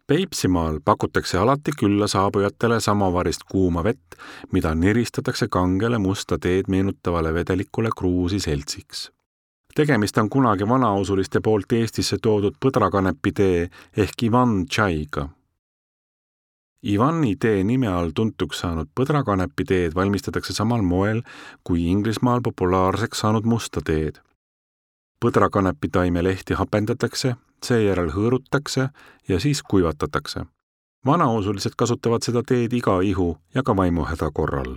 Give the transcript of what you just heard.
Peipsimaal pakutakse alati külla saabujatele samavarist kuuma vett, mida niristatakse kangele musta teed meenutavale vedelikule kruusi seltsiks. Tegemist on kunagi vanausuliste poolt Eestisse toodud põdrakanepi tee ehk Ivan Tšaiga. Ivani tee nime all tuntuks saanud põdrakanepi teed valmistatakse samal moel kui Inglismaal populaarseks saanud musta teed. Põdrakanepi taime lehti hapendatakse, seejärel hõõrutakse ja siis kuivatatakse. Vanausulised kasutavad seda teed iga ihu ja ka vaimuhäda korral.